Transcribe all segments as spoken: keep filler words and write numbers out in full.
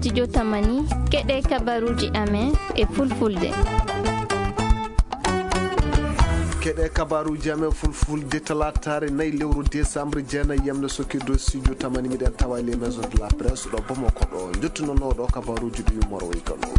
Studio Tamani, keɗe kabaruuji amen e fulfulde. Keɗe kabaruuji amen fulfulde, talaataare nayi lewru décembre, jeenayi yamde sokirde studio Tamani, miɗen tawa les maisons de la presse ɗo Bamako ɗo. Jottunonoo ɗo kabaruuji ɗi Moro Way Kano.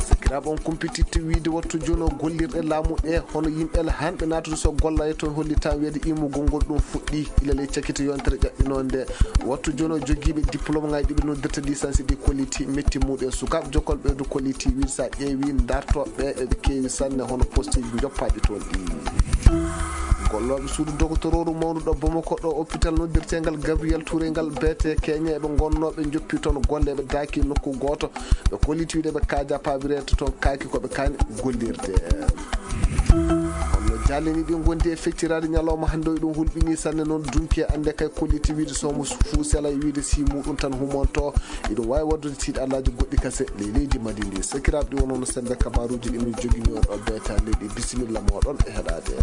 Sakiraaɓe, on kumpititte wiide wattu jono gollirɗe laamu ɗe, hono yimɓe hanɓe naatude so golla e toon hollitaa wiyeede immugol ngol ɗum fuɗɗi ila ley cakite yontere ƴaɓɓinoo nde. Wattu jono jogiiɓe diplôme ŋaaji ɗi ɓe noddirta licence ɗi kolliti metti muɗen. Sukaaɓe jokkol ɓeydu kolliti wiide so a ƴeewi dartooɓe eɓe keewi sanne hono poste joppaaɗi toon ɗi. Gollooɓe suudu dogotorooru mawnuɗo Bamako ɗo hôpital noddirteengal Gabriel Touré ngal beete Kenya eɓe ngonnooɓe njoppi toon golle ɓe daaki nokku gooto. Ɓe kolliti wiide ɓe kaaja paabireede toon kaaki ko ɓe kaani gollirde. Honno jaalini ɗi ngondi e fecciraade ñalawma hannde o, ɗum hulɓini sanne noon dunki e annde kay kolliti wiide soomo fuu sela e wiide si muɗum tan humonto. Iɗum waawi waɗdude tiiɗalaaji goɗɗi kase ley leydi Mali ndi. Sakiraaɓe, ɗi wonono sembe kabaruuji ɗi min jogini on ɗo beeta leydi. Bisimilla mooɗon e heɗaade.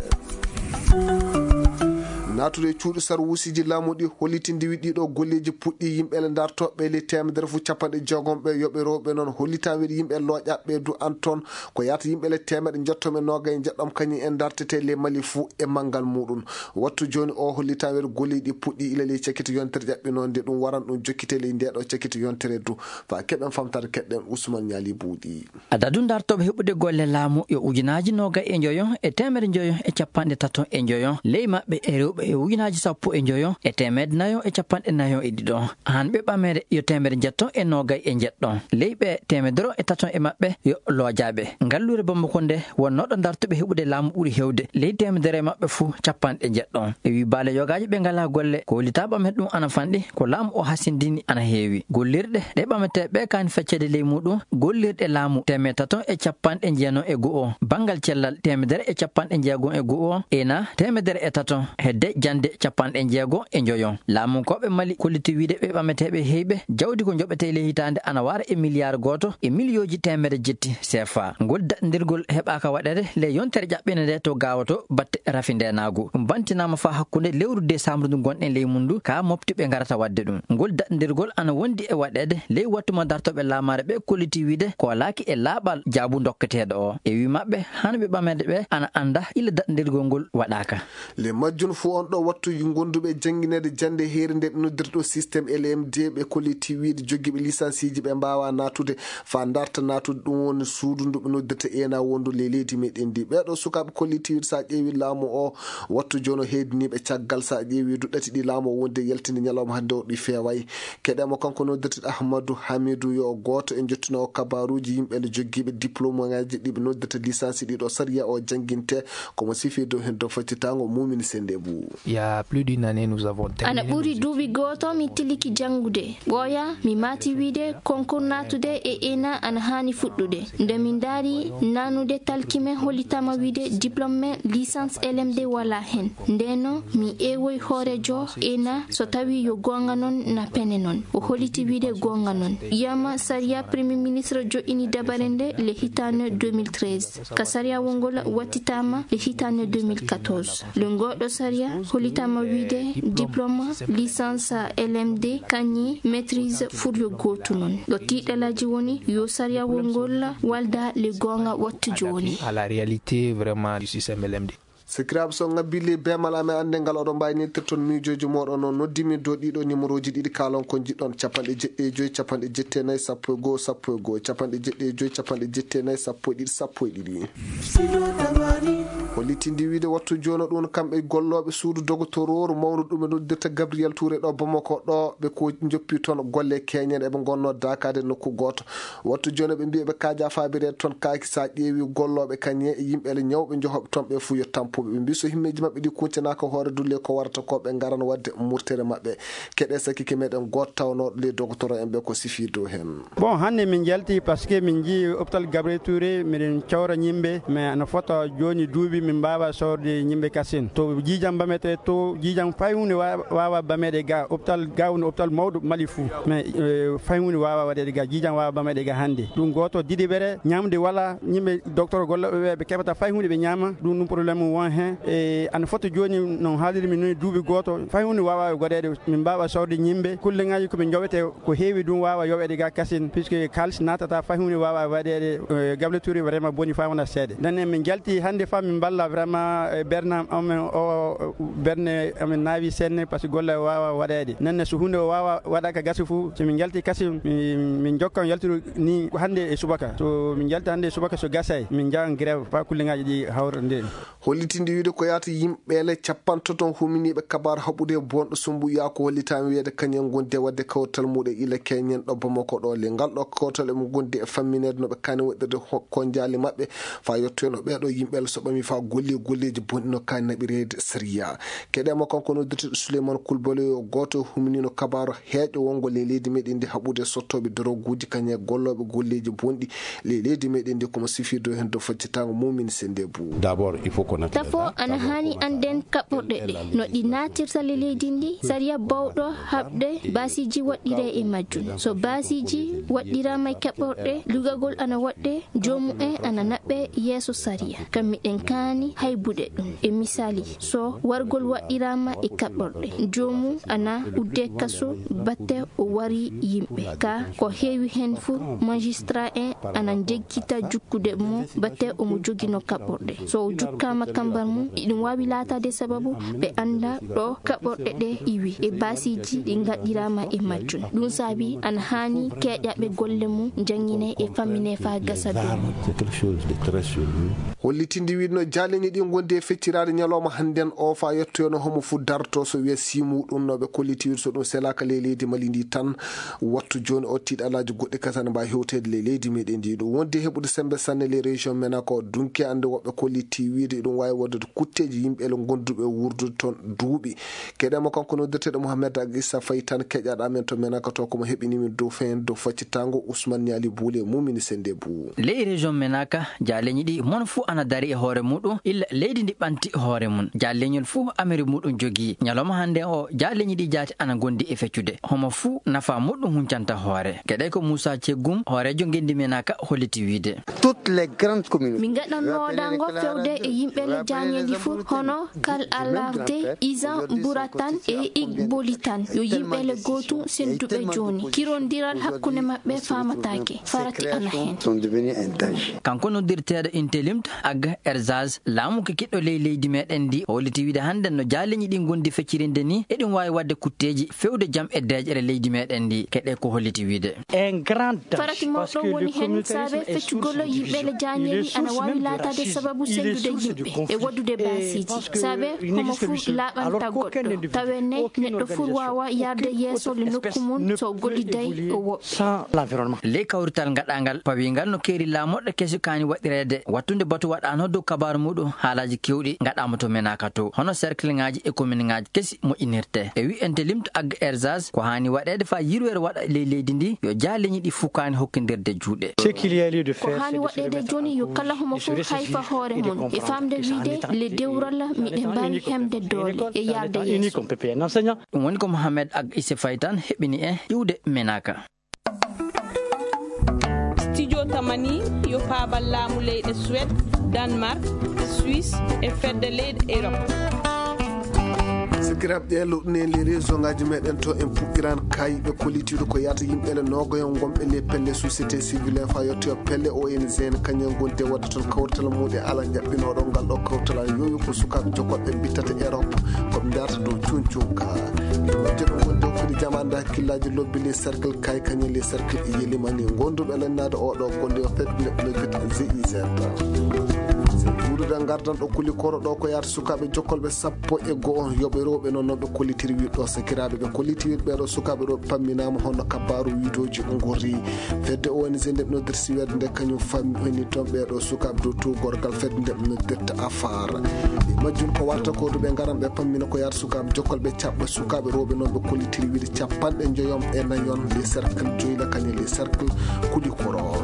Naatude e cuuɗi sarwuusiji laamu ɗi hollitindi wi ɗiɗo golleeji puɗɗi yimɓe le dartooɓe le teemedere fu capanɗe jeegom ɓe yoɓe rewɓe noon hollitaa wi yimɓe looƴaɓe du an toon ko yaata yimɓe le teemeɗe njettoɓe noogay njeɗɗom kañum en dartete le Mali fuu e manngal muɗum. Wattu jooni o hollitaa wi golleeji ɗi puɗɗi ila ley cakite yontere ƴaɓɓinoonde ɗum waran ɗum jokkite ley nde ɗo cakite yontere du. Fa keɗen famtare keɗen Ousmane Ñaali Buuɗi. Adadu dartooɓe heɓude golle laamu yo ujunaaji noogay e njoyo e teemedere njoyo e capanɗe tato e njoyo ley maɓɓe e rewɓe e ujunaaji sappo e njoyo e teemedere nayo e capanɗe nayo e ɗiɗo. Hanɓe ɓamere yo teemedere njetto e noogay e njeɗɗo. Ley ɓe teemedere e tato e maɓɓe yo loojaɓe. Ngalluure Bamako nde wonnoɗo dartuɓe heɓude laamu ɓuri hewde ley teemedere e maɓɓe fuu capanɗe njeɗɗo. E wi baale yogaaji ɓe ngalaa golle ko hollitaa ɓamen ɗum ana fanɗi ko laamu o hasindini ana heewi. Gollirɗe ɗe ɓametee ɓe kaani feccede ley muɗum gollirɗe laamu teemedere tato e capanɗe jeenayo e go'o banngal cellal teemedere e capanɗe jeegom e go'o ena teemedere e tato hedde jannde capanɗe jeego e njoyo. Laamunkooɓe Mali kolliti wiide ɓe ɓameteeɓe heyɓe jawdi ko njoɓetee ley hitaande ana wara e miliyaar gooto e miliyooji teemedere jetti C F A. Ngol daɗndirgol heɓaaka waɗeede ley yontere ƴaɓɓinde nde to Gaawo to batte rafi ndeenaagu. Ɗum bantinaama faa hakkunde lewru desambre ndu ngonɗen ley mum ndu ka mofti ɓe ngarata waɗde ɗum. Ngol daɗndirgol ana wondi e waɗeede ley wattu mo dartooɓe laamaare ɓe kolliti wiide ko walaaki e laaɓal jaabu dokketeeɗo o. E wi maɓɓe hano ɓe ɓameede ɓe ana annda ila daɗndirgol ngol waɗaaka. Le majjum fof on ɗo wattu gonduɓe janngineede jannde heere nde ɓe noddirta ɗo système L M D ɓe kolliti wiide jogiiɓe lisansiiji ɓe mbaawa naatude faa darta naatude ɗum woni suudu ndu ɓe noddirta ena wondu ley leydi meɗen ndi. Ɓeeɗo sukaaɓe kolliti wiide so a ƴeewi laamu o wattu jono heediniiɓe caggal so a ƴeewi du ɗati ɗi laamu o wondi e yaltinde ñalawma hannde o ɗi feeway. Keɗemo kanko noddirta Ahmadu Hamidu yo gooto e jottunoo kabaruuji yimɓe le jogiiɓe diplôme ŋaaji ɗi ɓe noddirta lisansi ɗiɗo sariya o jannginte. Komo sifi dow heen dow faccitaango Mumini Sende Bou. Il y a plus d'une année, nous avons terminé. Ana ɓuri duuɓi gooto mi tiliki janngude. Ɓooya mi maati wiide konkur naatude e ena ana haani fuɗɗude. Nde min ndaari nanude talki men hollitaama wiide diplôme men licence L M D wala heen. Ndeno mi ewoy hoorejo ena so tawi yo goonga noon na pene noon. O holliti wiide goonga noon. Yama sariya Premier Ministre joɗɗini dabare nde le hitaande deux mille treize. Ka sariyawol ngol wattitaama le hitaande deux mille quatorze. Le ngoɗo sariya hollitaama wiide diplôme licence L M D kañi maîtrise fuu yo gootu noon. Ɗo tiiɗalaaji woni yo sariyawol ngol walda le goonga wattu jooni. À la réalité vraiment du système L M D. Sakiraaɓe, so ngabbii ley beemal amen annde ngal oɗon mbaawi nettirde toon miijooji mooɗon o noddimi dow ɗiɗo numéroji ɗiɗi kaalon ko njiɗɗon capanɗe jeɗɗi e joyi capanɗe jetti e nayi sappo e goo sappo e goo capanɗe jeɗɗi e joyi capanɗe jetti e nayi sappo e ɗiɗi sappo e ɗiɗi. Hollitindi wiide wattu jooni ɗum kamɓe gollooɓe suudu dogotoroor mawɗo ɗum ɓe noddirta Gabriel Touré ɗo Bamako ɗo ɓe ko njoppi toon golle keñen eɓe ngonnoo daakaade nokku gooto. Wattu jooni ɓe mbiya ɓe kaaja faabireede toon kaaki so a ƴeewi gollooɓe kañe e yimɓe le ñawɓe njohoɓe toon ɓe fuu yo tampuɓe. Ɓe mbi so himmeeji maɓɓe ɗi kuncanaaka hoore dulle ko warata ko ɓe ngaran waɗde murtere maɓɓe. Keɗe sakike meɗen gooto tawnooɗo ley dogotoro en ɓe ko sifi dow heen. Bon, hannde min njalti parce que min njii hôpital Gabriel Touré, miɗen cawra yimɓe, mais ana fota jooni duuɓi Min mbaawa soorde yimɓe kasin. To jiijam bamete, to jiijam fay huunde wa-, waawa bameede ga hôpital, ga woni hôpital mawɗo Mali fuu. Mais, eh, fay huunde waawa waɗeede ga, jiijam waawa bameede ga hannde. Ɗum gooto, ɗiɗiɓere, ñamde wala, yimɓe docteur gollooɓe ɓe, ɓe keɓata fay huunde ɓe ñaama. Ɗum, ɗum problème mum won heen. E ana foti jooni, no haaliri mi noon, duuɓi gooto, fay huunde waawa waɗeede. Min mbaawa soorde yimɓe, kulleŋaaji ko ɓe njoɓete, ko heewi ɗum waawa yoɓeede ga kasin, puisque kaalis naatata, fay huunde waawa waɗeede, eh, gable tuuri vraiment boni faa wona seeɗa. Nden en min njalti hannde faa min mballa vraiment, eh, berne amen o, berne amen naawi seeɗa, parce que golle waawa waɗeede. Nden so huunde o waawa waɗa ka gasi fuu, so min njalti kasin, min, min njokkan yaltude ni hannde e subaka. So min njalti hannde e subaka, so gasay, min njahan grève faa kulleŋaaji ɗi hawra nde. Hollitinde wiyde ko yaata yimɓeele capantato huminiiɓe kabaaru haɓude e bonɗo Sumbuyaa ko hollitaama wiyde kañum en ngondi e waɗde kawtal muɗum e ila keñen ɗo Bamako ɗo. Le ngal ɗo kawtal emo ngondi e fammineede no ɓe kaani waɗirde ho-, konjaali maɓɓe faa yettoyno ɓeeɗo yimɓeele so ɓami faa golli golleeji bonɗi no kaani naɓireede sariya. Keɗeemo kanko noddirteeɗo Souleymane Koulibaly, yo gooto e huminiino kabaaru heeƴo wongo le leydi meɗen ndi haɓude sottooɓe doroguuji kañum e gollooɓe golleeji bonɗi le leydi meɗen ndi, komo sifirde heen dow faccitaango mum min sende bu. D'abord, il faut qu'on attende. Tafo, ana haani annden kaɓɓorɗe ɗe, no ɗi naatirta le leydi ndi, sariya bawɗo haɓde baasiiji waɗɗiree e majjum. So baasiiji waɗɗiraama e kaɓɓorɗe, lugagol ana waɗɗee, joomu en ana naɓɓee yeeso sariya. Kam miɗen kaani haybude ɗum. E misaali, so wargol waɗɗiraama e kaɓɓorɗe, joomu ana uddee kaso batte o wari yimɓe. Ka ko heewi heen fuu, magistrat en ana njeggita jukkude mo batte omo jogino kaɓɓorɗe. So o jukkaama kambar mum, iɗum waawi laataade sababu ɓe annda ɗo kaɓɓorɗe ɗe iwi e baasiiji ɗi ngaɗɗiraama e majjum. Ɗum saabi ana haani keeƴaɓe golle mum njannginee e famminee faa gasa dow. C'est quelque chose de très sérieux. Hollitinde wiide no jaaleñi ɗi ngondi e fecciraade ñalawma hannden o faa yettoyno homo fuu darto so wiya siimu ɗum no ɓe kolliti wiide so ɗum selaaka ley leydi Mali ndi tan. Wattu jooni o tiiɗalaaji goɗɗi kadi ana mbaawi hewteede ley leydi meɗen ndi. Ɗum wondi heɓude semmbe sanne ley région Menaka o dunki annde woɓɓe kolliti wiide ɗum waawi waɗude kutteeji yimɓe ele gonduɓe wuurdude toon duuɓi. Keɗeemo kanko noddirteeɗo Mohamed Ag Issa Faye tan keƴaɗo amen to Menaka to komo heɓini min dow fen dow faccitaango Ousmane Niali Boule mumini sende bu. Ley région Menaka, jaaleñi ɗi mon fuu ana dari e hoore muɗum, illa leydi ndi ɓanti hoore mum. Jaaleñol fuu amiri muɗum jogii. Ñalawma hannde o, jaaleñi ɗi jaati ana ngondi e feccude. Homo fuu nafa muɗum huncanta hoore. Keɗe ko Moussa Tchegoum, hooreejo ngenndi Menaka, holliti wiide. Toutes les grandes communautés. Min ngaɗan noodaango fewde e yimɓe le jaaleñi fuu, hono Kal Alarde, Izan Buratan e Igbolitan. Yo yimɓe le gootum sennduɓe jooni. Kirondiral hakkunde maɓɓe faamataake. Farati ana heen. Sont devenus un danger. Kanko noddirteeɗo Intellimt Ag Erzaz, laamu ko kiɗɗo ley leydi meɗen ndi, holliti wiide hannden no jaaleñi ɗi ngondi feccirinde ni, eɗum waawi waɗde kutteeji fewde jam e deeƴere leydi meɗen ndi. Keɗe ko holliti wiide. Un grand danger. Farati mawɗo woni heen saabe feccugol yimɓe le jaaleñi ana waawi laataade sababu senndude yimɓe e waɗude baasiiji. Saabe homo fuu laaɓanta goɗɗo. Tawe ne neɗɗo fuu waawa yarde yeeso le nokku mum so o golliday o woɓɓe. Ley kawrital ngaɗaangal pawiingal no keeri laamorɗe kesi kaani waɗireede, wattunde batu waɗaano dow kabaaru muɗum haalaaji keewɗi ngaɗaama to Menaka to, hono cercle ŋaaji e commune ŋaaji kesi moƴƴinirte. E wi'ente limto Ag Erzaz, ko haani waɗeede faa yirwere waɗa ley leydi ndi, yo jaaleñi ɗi fukaani hokkindirde juuɗe. Ce qu'il y a lieu de faire, c'est de se remettre en cause et de se réciter et de comprendre que ça n'est pas une école, c'est pas une école. Ko haani waɗeede jooni yo kala homo fof hay faa hoore mum e faamde wiide le dewral miɗen mbaawi hemde doole e yarde yeeso. Ɗum woni ko Mohamed Ag Issa Faye tan heɓini en iwde Menaka. Studio Tamani yo paabal laamu leyɗe Suède, Danemark, Suisse e fedde leyɗe Europe. Sakiraaɓe, ɗe luɗɗune les réseau ngaji meɗen to en puɗɗiran kay ɓe kollitiiɗo ko yaata yimɓe le noogayon gonɓe les pelle société civile en faa yettoyo pelle O N G en kañum en gondi e waɗde toon kawrital muɗum e ala jaɓɓinooɗo ngal ɗo kawrital an yowi ko sukaaɓe jokolɓe bittata Europe. Ko ɓe mbi'ata dow cuncunka. Ɓe wonde ɗo wonde hokkude jamaande hakkillaaji lobby les cercle kay kañum les cercle e yelimani gonduɓe lannaade oɗo golle o fedde nde ɓe noddirta G I Z. Se wuurude ngardan ɗo kuli koro ɗo ko yaata sukaaɓe jokkolɓe sappo e go'o yoɓe rewɓe noon noon ɓe kollitiri wiɗo sakiraaɓe ɓe kolliti wiɗo ɓeɗo sukaaɓe ɗo pamminaama hono kabaaru wiidooji ngorri. Fedde O N G nde ɓe noddirta Suède nde kañum fammi honi toon ɓeɗo sukaaɓe dow tuugorgal fedde nde ɓe noddirta afar. E majjum ko warta ko ɗo ɓe ngaran ɓe pammina ko yaata sukaaɓe jokkal ɓe caɓɓa sukaaɓe rewɓe noon ɓe kollitiri wiide capanɗe njoyon e nayon les cercle joyla kañum les cercle kuli koro.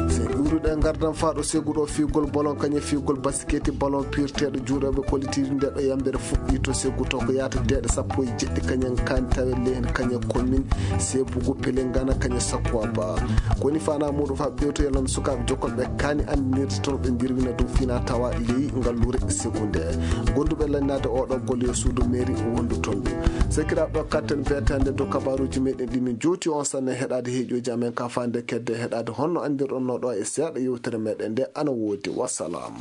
Se ɗuuɗo Ɗe ngardan faa ɗo segu ɗo fiigol bolon kañe fiigol basiketi bolon piirteeɗo juuɗooɓe kolitiiɗi nde ɗo yambere fuɗɗi to segu to ko yaata deeɗe sappo e jeɗɗi kañen kaani tawe lehen kañe komin sebugu pelengana kañe sakkuwa ba koni fana muɗum faa ɓewtoyalon sukaaɓe jokkolɓe kaani anndinirde toon ɓe ndirwina dow fina tawa ley ngalluure segu nde gonduɓe lannaade oɗo golle yo suudu mairie wondu toon ɗum sekiraaɓe ɗo katten beetande dow kabaruuji meɗen ɗi min jooti on sanne heɗaade heeƴooji amen ka fande kedde heɗaade honno anndirɗon no ɗo e seeɗa yewtere meɗen nde ana woodi wassalam.